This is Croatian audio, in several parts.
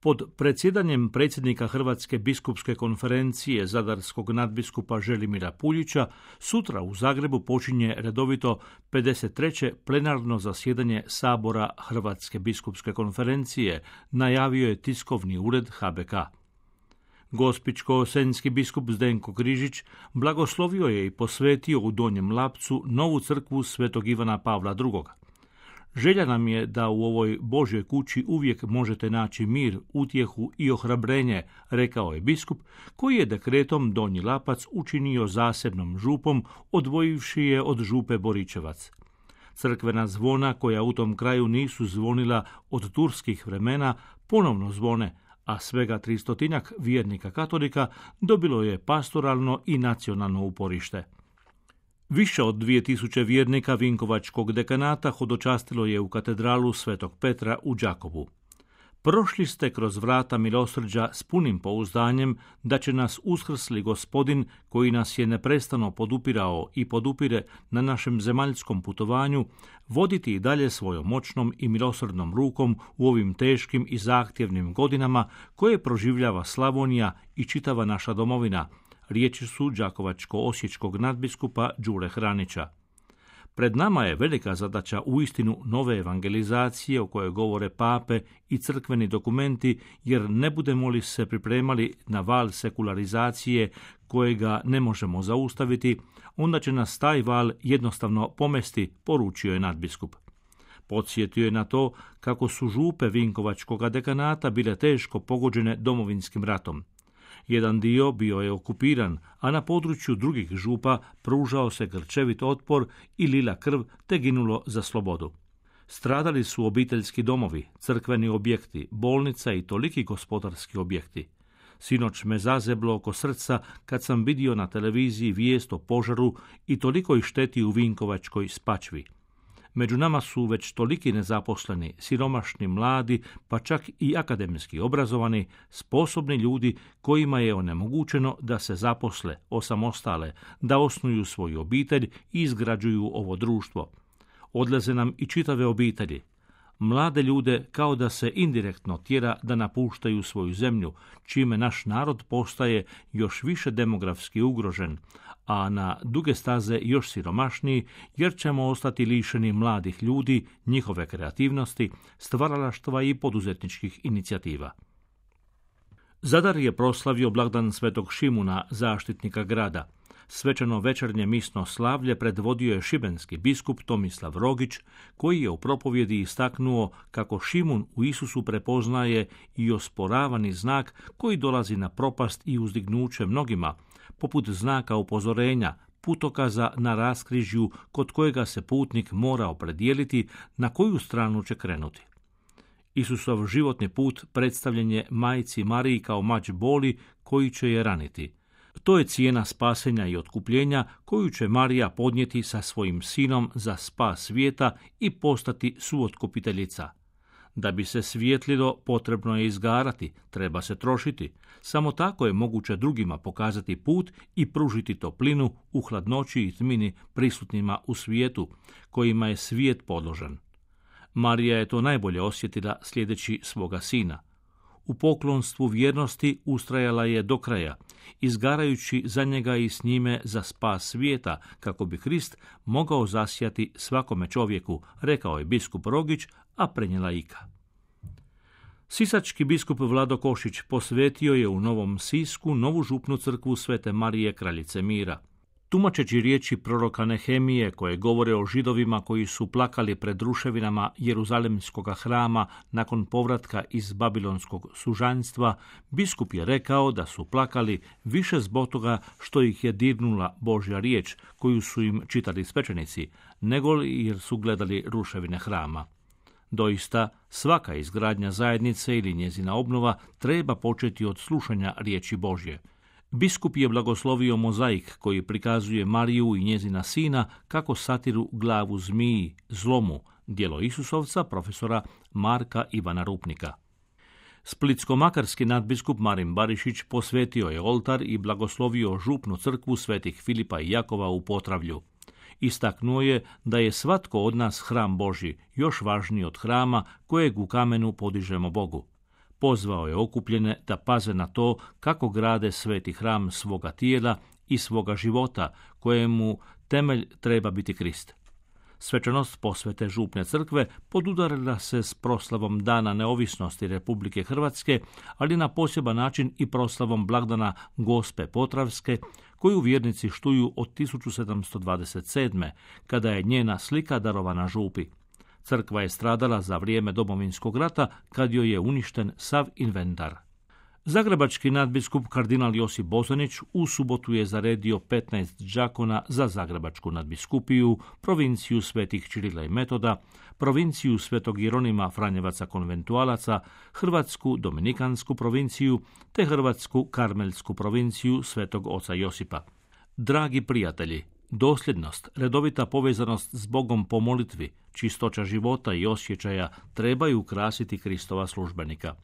Pod predsjedanjem predsjednika Hrvatske biskupske konferencije zadarskog nadbiskupa Želimira Puljića sutra u Zagrebu počinje redovito 53. plenarno zasjedanje Sabora Hrvatske biskupske konferencije, najavio je tiskovni ured HBK. Gospićko-senjski biskup Zdenko Križić blagoslovio je i posvetio u Donjem Lapcu novu crkvu Svetog Ivana Pavla II. Želja nam je da u ovoj Božjoj kući uvijek možete naći mir, utjehu i ohrabrenje, rekao je biskup, koji je dekretom Donji Lapac učinio zasebnom župom, odvojivši je od župe Boričevac. Crkvena zvona, koja u tom kraju nisu zvonila od turskih vremena, ponovno zvone, a svega 300 vjernika katolika dobilo je pastoralno i nacionalno uporište. Više od 2000 vjernika Vinkovačkog dekanata hodočastilo je u katedralu Svetog Petra u Đakovu. Prošli ste kroz vrata milosrđa s punim pouzdanjem da će nas uskrsli Gospodin, koji nas je neprestano podupirao i podupire na našem zemaljskom putovanju, voditi i dalje svojom moćnom i milosrdnom rukom u ovim teškim i zahtjevnim godinama koje proživljava Slavonija i čitava naša domovina, riječi su đakovačko-osječkog nadbiskupa Đure Hranića. Pred nama je velika zadaća uistinu nove evangelizacije o kojoj govore pape i crkveni dokumenti, jer ne budemo li se pripremali na val sekularizacije kojega ne možemo zaustaviti, onda će nas taj val jednostavno pomesti, poručio je nadbiskup. Podsjetio je na to kako su župe Vinkovačkog dekanata bile teško pogođene Domovinskim ratom. Jedan dio bio je okupiran, a na području drugih župa pružao se grčevit otpor i lila krv te ginulo za slobodu. Stradali su obiteljski domovi, crkveni objekti, bolnica i toliki gospodarski objekti. Sinoć me zazeblo oko srca kad sam vidio na televiziji vijest o požaru i tolikoj šteti u Vinkovačkoj Spačvi. Među nama su već toliki nezaposleni, siromašni, mladi, pa čak i akademski obrazovani, sposobni ljudi kojima je onemogućeno da se zaposle, osamostale, da osnuju svoju obitelj i izgrađuju ovo društvo. Odlaze nam i čitave obitelji. Mlade ljude kao da se indirektno tjera da napuštaju svoju zemlju, čime naš narod postaje još više demografski ugrožen, a na duge staze još siromašniji, jer ćemo ostati lišeni mladih ljudi, njihove kreativnosti, stvaralaštva i poduzetničkih inicijativa. Zadar je proslavio blagdan Svetog Šimuna, zaštitnika grada. Svečano večernje misno slavlje predvodio je šibenski biskup Tomislav Rogić, koji je u propovjedi istaknuo kako Šimun u Isusu prepoznaje i osporavani znak koji dolazi na propast i uzdignuće mnogima, poput znaka upozorenja, putokaza na raskrižju kod kojega se putnik mora opredijeliti na koju stranu će krenuti. Isusov životni put predstavljen je majci Mariji kao mač boli koji će je raniti. To je cijena spasenja i otkupljenja koju će Marija podnijeti sa svojim sinom za spas svijeta i postati suotkupiteljica. Da bi se svijetlilo, potrebno je izgarati, treba se trošiti. Samo tako je moguće drugima pokazati put i pružiti toplinu u hladnoći i tmini prisutnima u svijetu, kojima je svijet podložan. Marija je to najbolje osjetila sljedeći svoga sina. U poklonstvu vjernosti ustrajala je do kraja, izgarajući za njega i s njime za spas svijeta, kako bi Krist mogao zasjati svakome čovjeku, rekao je biskup Rogić, a prenijela Ika. Sisački biskup Vlado Košić posvetio je u Novom Sisku novu župnu crkvu Svete Marije Kraljice mira. Tumačeći riječi proroka Nehemije koje govore o Židovima koji su plakali pred ruševinama Jeruzalemskog hrama nakon povratka iz babilonskog sužanjstva, biskup je rekao da su plakali više zbog toga što ih je dirnula Božja riječ koju su im čitali svećenici, nego jer su gledali ruševine hrama. Doista, svaka izgradnja zajednice ili njezina obnova treba početi od slušanja riječi Božje. Biskup je blagoslovio mozaik koji prikazuje Mariju i njezina sina kako satiru glavu zmiji, zlomu, djelo Isusovca profesora Marka Ivana Rupnika. Splitsko-makarski nadbiskup Marin Barišić posvetio je oltar i blagoslovio župnu crkvu Svetih Filipa i Jakova u Potravlju. Istaknuo je da je svatko od nas hram Božji, još važniji od hrama kojeg u kamenu podižemo Bogu. Pozvao je okupljene da paze na to kako grade sveti hram svoga tijela i svoga života, kojemu temelj treba biti Krist. Svečanost posvete župne crkve podudarila se s proslavom Dana neovisnosti Republike Hrvatske, ali na poseban način i proslavom blagdana Gospe Potravske, koju vjernici štuju od 1727. kada je njena slika darovana župi. Crkva je stradala za vrijeme Domovinskog rata, kad joj je uništen sav inventar. Zagrebački nadbiskup kardinal Josip Bozanić u subotu je zaredio 15 đakona za Zagrebačku nadbiskupiju, provinciju svetih Čirila i Metoda, provinciju svetog Jeronima Franjevaca konventualaca, Hrvatsku dominikansku provinciju te Hrvatsku karmelsku provinciju svetog oca Josipa. Dragi prijatelji, dosljednost, redovita povezanost s Bogom po molitvi, čistoća života i osjećaja trebaju ukrasiti Kristova službenika.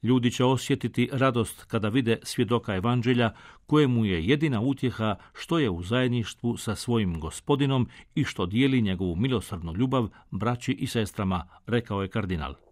Ljudi će osjetiti radost kada vide svjedoka evanđelja, kojemu je jedina utjeha što je u zajedništvu sa svojim Gospodinom i što dijeli njegovu milosrdnu ljubav braći i sestrama, rekao je kardinal.